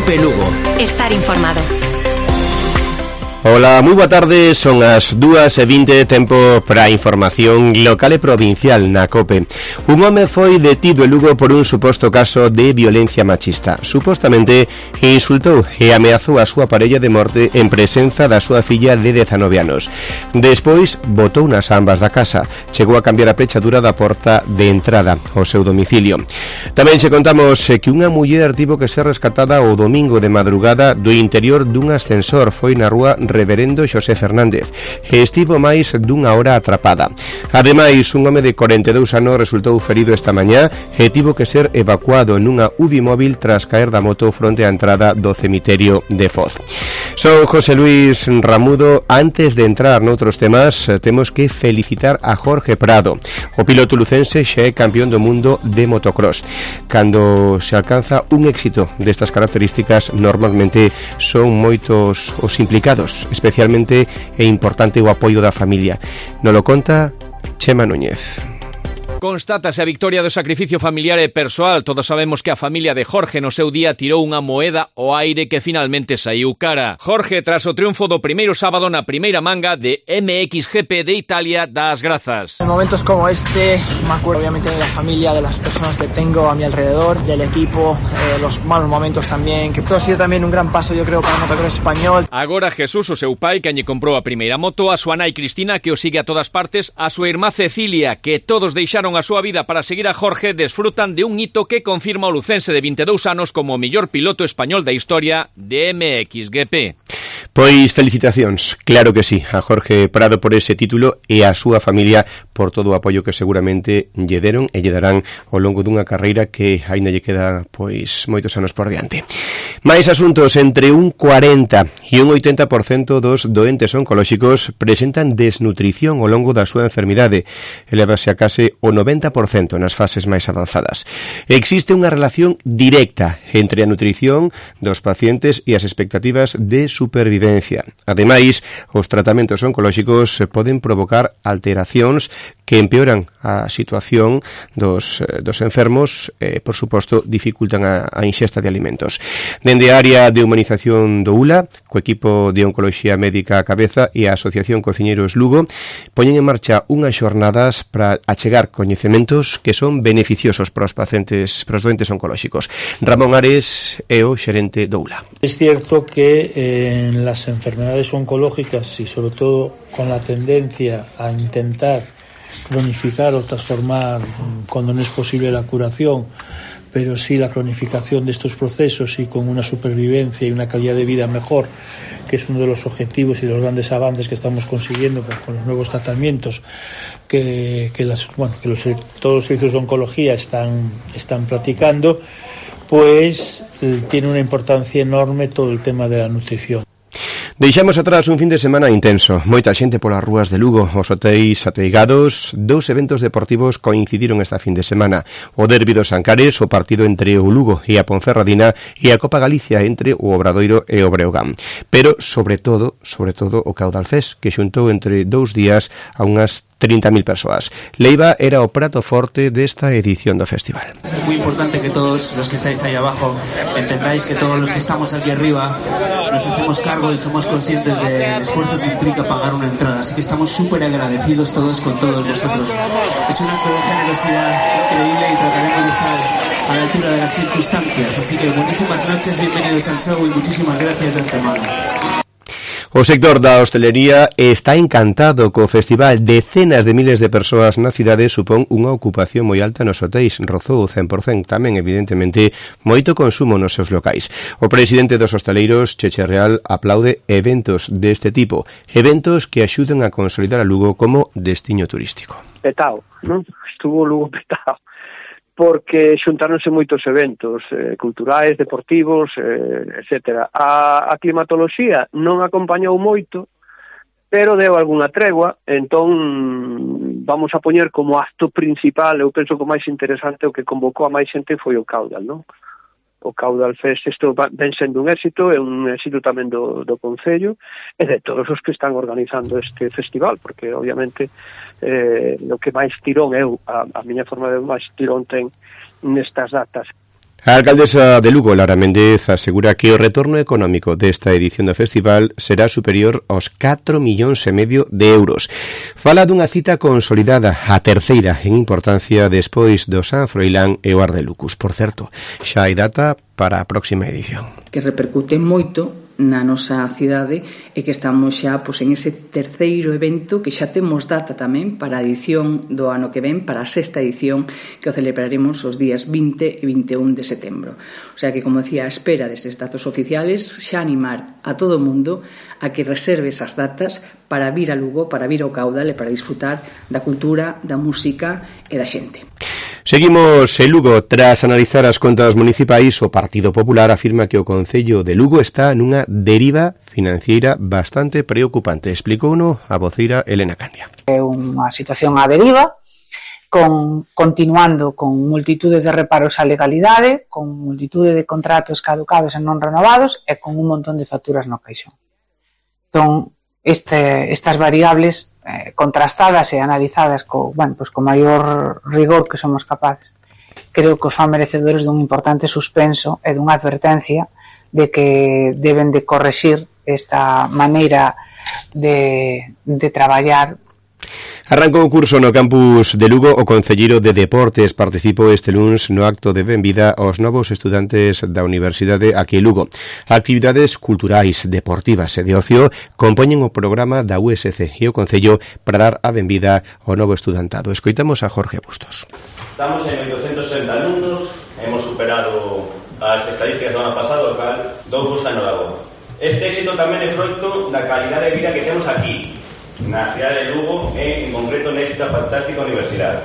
Cope Lugo. Estar informado. Ola, moi boa tarde, son as 2:20, tempo para a información local e provincial na COPE. Un home foi detido en Lugo por un suposto caso de violencia machista. Supostamente insultou e ameazou a súa parella de morte en presenza da súa filla de 19 anos. Despois botou nas ambas da casa. Chegou a cambiar a pechadura da porta de entrada ao seu domicilio. Tamén che contamos que unha muller tivo que ser rescatada o domingo de madrugada do interior dun ascensor. Foi na rúa Reverendo Xosé Fernández e estivo máis dunha hora atrapada. Ademais, un home de 42 anos resultou ferido esta mañá e tivo que ser evacuado nunha UBI móvil tras caer da moto fronte á entrada do cemiterio de Foz. Son José Luis Ramudo. Antes de entrar noutros temas, temos que felicitar a Jorge Prado. O piloto lucense xa é campeón do mundo de motocross. Cando se alcanza un éxito destas características, normalmente son moitos os implicados. Especialmente é importante o apoio da familia. Nolo conta Chema Núñez. Constátase a victoria do sacrificio familiar e persoal. Todos sabemos que a familia de Jorge no seu día tirou unha moeda ao aire que finalmente saiu cara. Jorge, tras o triunfo do primeiro sábado na primeira manga de MXGP de Italia, dá as grazas. En momentos como este, me acuerdo obviamente de la familia, de las personas que tengo a mi alrededor, del equipo, los malos momentos también, que todo ha sido también un gran paso, yo creo, para el motocross español. Agora Jesús, o seu pai, que lle comprou a primeira moto, a súa nai Cristina, que o sigue a todas partes, a súa irmá Cecilia, que todos deixaron a súa vida para seguir a Jorge, desfrutan de un hito que confirma o lucense de 22 anos como o mellor piloto español da historia de MXGP. Pois felicitacións, claro que sí, a Jorge Prado por ese título e a súa familia por todo o apoio que seguramente lle deron e lle darán ao longo dunha carreira que aínda lle queda pois moitos anos por diante. Mais asuntos, entre un 40 e un 80% dos doentes oncolóxicos presentan desnutrición ao longo da súa enfermidade, elevase a case o 90% nas fases máis avanzadas. Existe unha relación directa entre a nutrición dos pacientes e as expectativas de supervivencia. Ademais, os tratamentos oncolóxicos poden provocar alteracións que empeoran a situación dos enfermos e, por suposto, dificultan a ingesta de alimentos. Dende a área de humanización do ULA, co equipo de Oncoloxía Médica a cabeza e a Asociación Cociñeiros Lugo, poñen en marcha unhas xornadas para achegar coñecementos que son beneficiosos para os pacientes, para os doentes oncolóxicos. Ramón Ares é o xerente do ULA. Es cierto que en las enfermedades oncológicas y sobre todo con la tendencia a intentar cronificar o transformar cuando no es posible la curación, pero sí la cronificación de estos procesos y con una supervivencia y una calidad de vida mejor, que es uno de los objetivos y los grandes avances que estamos consiguiendo pues, con los nuevos tratamientos que todos los servicios de oncología están practicando, pues tiene una importancia enorme todo el tema de la nutrición. Deixamos atrás un fin de semana intenso. Moita xente polas rúas de Lugo, os hotéis ateigados. Dous eventos deportivos coincidiron esta fin de semana. O derbi dos Ancares, o partido entre o Lugo e a Ponferradina, e a Copa Galicia entre o Obradoiro e o Breogán. Pero, sobre todo, o Caudalfés, que xuntou entre 2 días a unhas 30.000 persoas. Leiva era o prato forte desta edición do festival. Es muy importante que todos los que estáis ahí abajo entendáis que todos los que estamos aquí arriba nos hacemos cargo y somos conscientes del esfuerzo que implica pagar una entrada, así que estamos súper agradecidos todos con todos vosotros. Es un acto de generosidad increíble y trataremos de estar a la altura de las circunstancias, así que buenísimas noches, bienvenidos al show y muchísimas gracias de antemano. O sector da hostelería está encantado co festival. Decenas de miles de persoas na cidade supón unha ocupación moi alta nos hotéis. Rozou o 100%, tamén, evidentemente, moito consumo nos seus locais. O presidente dos hosteleiros, Cheche Real, aplaude eventos deste tipo. Eventos que axuden a consolidar a Lugo como destiño turístico. Petao, non? Estuvo Lugo petao. Porque xuntáronse moitos eventos culturais, deportivos, etc. A climatoloxía non acompañou moito, pero deu algunha tregua, entón vamos a poñer como acto principal, eu penso que o máis interesante, o que convocou a máis xente foi o Caudal, non? O Caudal Fest, isto ven sendo un éxito, é un éxito tamén do Concello e de todos os que están organizando este festival, porque obviamente o que máis tirón a miña forma de máis tirón ten nestas datas. A alcaldesa de Lugo, Lara Méndez, asegura que o retorno económico desta edición do festival será superior aos 4,5 millóns de euros. Fala dunha cita consolidada, a terceira en importancia despois do San Froilán e o Ardelucus. Por certo, xa hai data para a próxima edición. Que repercute moito na nosa cidade e que estamos xa en ese terceiro evento que xa temos data tamén para a edición do ano que ven, para a sexta edición que o celebraremos os días 20 e 21 de setembro. O sea que, como decía, a espera destes datos oficiales, xa animar a todo o mundo a que reserve esas datas para vir a Lugo, para vir ao Caudal e para disfrutar da cultura, da música e da xente. Seguimos en Lugo. Tras analizar as contas municipais, o Partido Popular afirma que o Concello de Lugo está nunha deriva financiera bastante preocupante. Explicouno a voceira Elena Candia. É unha situación á deriva, continuando con multitude de reparos á legalidade, con multitude de contratos caducados e non renovados e con un montón de facturas no caixón. Entón, estas variables contrastadas e analizadas co maior rigor que somos capaces, creo que os fan merecedores dun importante suspenso e dunha advertencia de que deben de correxir esta maneira de traballar. Arrancou o curso no campus de Lugo. O concelleiro de Deportes participou este luns no acto de benvida aos novos estudantes da Universidade aquí en Lugo. Actividades culturais, deportivas e de ocio compoñen o programa da USC e o concello para dar a benvida ao novo estudantado. Escoitamos a Jorge Bustos. Estamos en 860 alumnos, hemos superado as estadísticas do ano pasado, o cal dou vos a enhorabuena. Este éxito tamén é froito da calidade de vida que temos aquí, na cidade de Lugo e, en concreto, nesta fantástica universidade.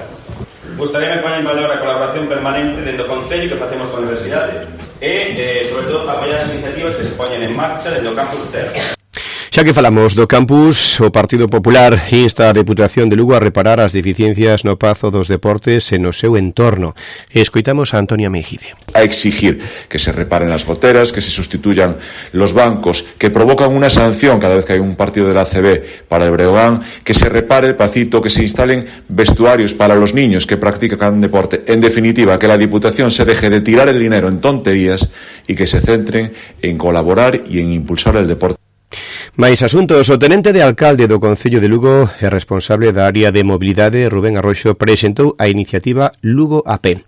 Gustaríame poner en valor a colaboración permanente dentro do Concello que facemos con a universidade e, sobre todo, apoiar as iniciativas que se poñen en marcha dentro do campus Terra. Xa que falamos do campus, o Partido Popular insta a Deputación de Lugo a reparar as deficiencias no Pazo dos Deportes e no seu entorno. Escoitamos a Antonia Mejide. A exigir que se reparen las goteras, que se sustituyan los bancos, que provocan una sanción cada vez que hay un partido de la ACB para el Breogán, que se repare el Pacito, que se instalen vestuarios para los niños que practican deporte. En definitiva, que la Diputación se deje de tirar el dinero en tonterías y que se centren en colaborar y en impulsar el deporte. Mais asuntos. O tenente de alcalde do Concello de Lugo e responsable da área de mobilidade, Rubén Arroxo, presentou a iniciativa Lugo a pé.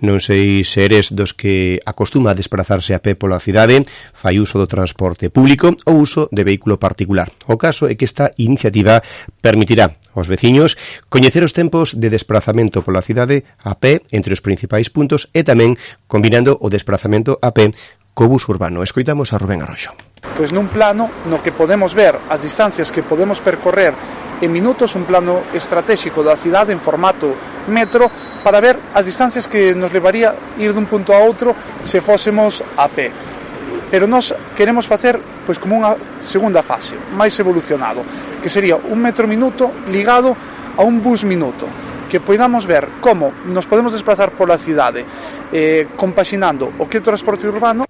Non sei se eres dos que acostuma a desplazarse a pé pola cidade, fai uso do transporte público ou uso de vehículo particular. O caso é que esta iniciativa permitirá aos veciños coñecer os tempos de desplazamento pola cidade a pé entre os principais puntos e tamén combinando o desplazamento a pé co bus urbano. Escoitamos a Rubén Arroxo. Pois nun plano no que podemos ver as distancias que podemos percorrer en minutos, un plano estratégico da cidade en formato metro para ver as distancias que nos levaría ir dun punto a outro se fósemos a pé. Pero nós queremos facer pois como unha segunda fase, máis evolucionado, que sería un metro minuto ligado a un bus minuto, que podamos ver como nos podemos desplazar pola cidade compaxinando o que é o transporte urbano.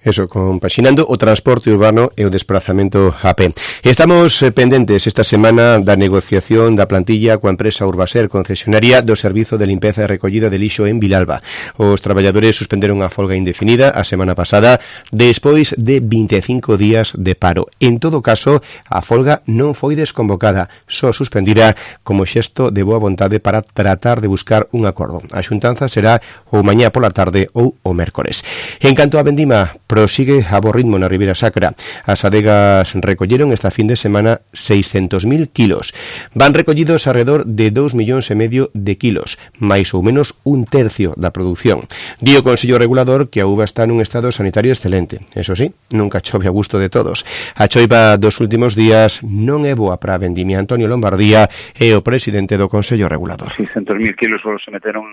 Eso, compaxinando o transporte urbano e o desplazamento a pé. Estamos pendentes esta semana da negociación da plantilla coa empresa Urbaser, concesionaria do Servizo de Limpeza e Recollida de Lixo en Vilalba. Os traballadores suspenderon a folga indefinida a semana pasada despois de 25 días de paro. En todo caso, a folga non foi desconvocada, só suspendida como xesto de boa vontade para tratar de buscar un acordo. A xuntanza será ou mañá pola tarde ou o mércores. En canto a vendima, prosigue a bo ritmo na Ribeira Sacra. As adegas recolleron esta fin de semana 600.000 kilos. Van recollidos alrededor de 2,5 millóns de kilos, máis ou menos un tercio da produción. Di o Consello Regulador que a uva está nun estado sanitario excelente. Eso sí, nunca chove a gusto de todos. A choiva dos últimos días non é boa para a vendimia. Antonio Lombardía é o presidente do Consello Regulador. 600.000 kilos solo se meteron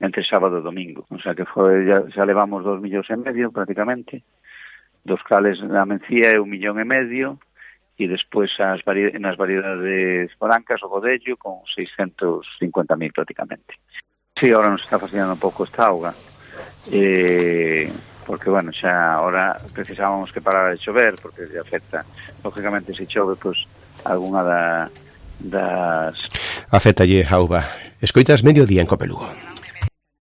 entre sábado e domingo, o sea que xa levamos 2,5 millóns prácticamente, dos cales na Mencía é 1,5 millóns e despois nas variedades brancas o Godello con 650.000 prácticamente. Sí, ahora nos está fascinando un pouco esta auga, porque, bueno, xa ahora precisábamos que parara de chover, porque afecta, lógicamente, se chove, pois, algunha das... Afectalle a uva. Escoitas Mediodía en Cope Lugo.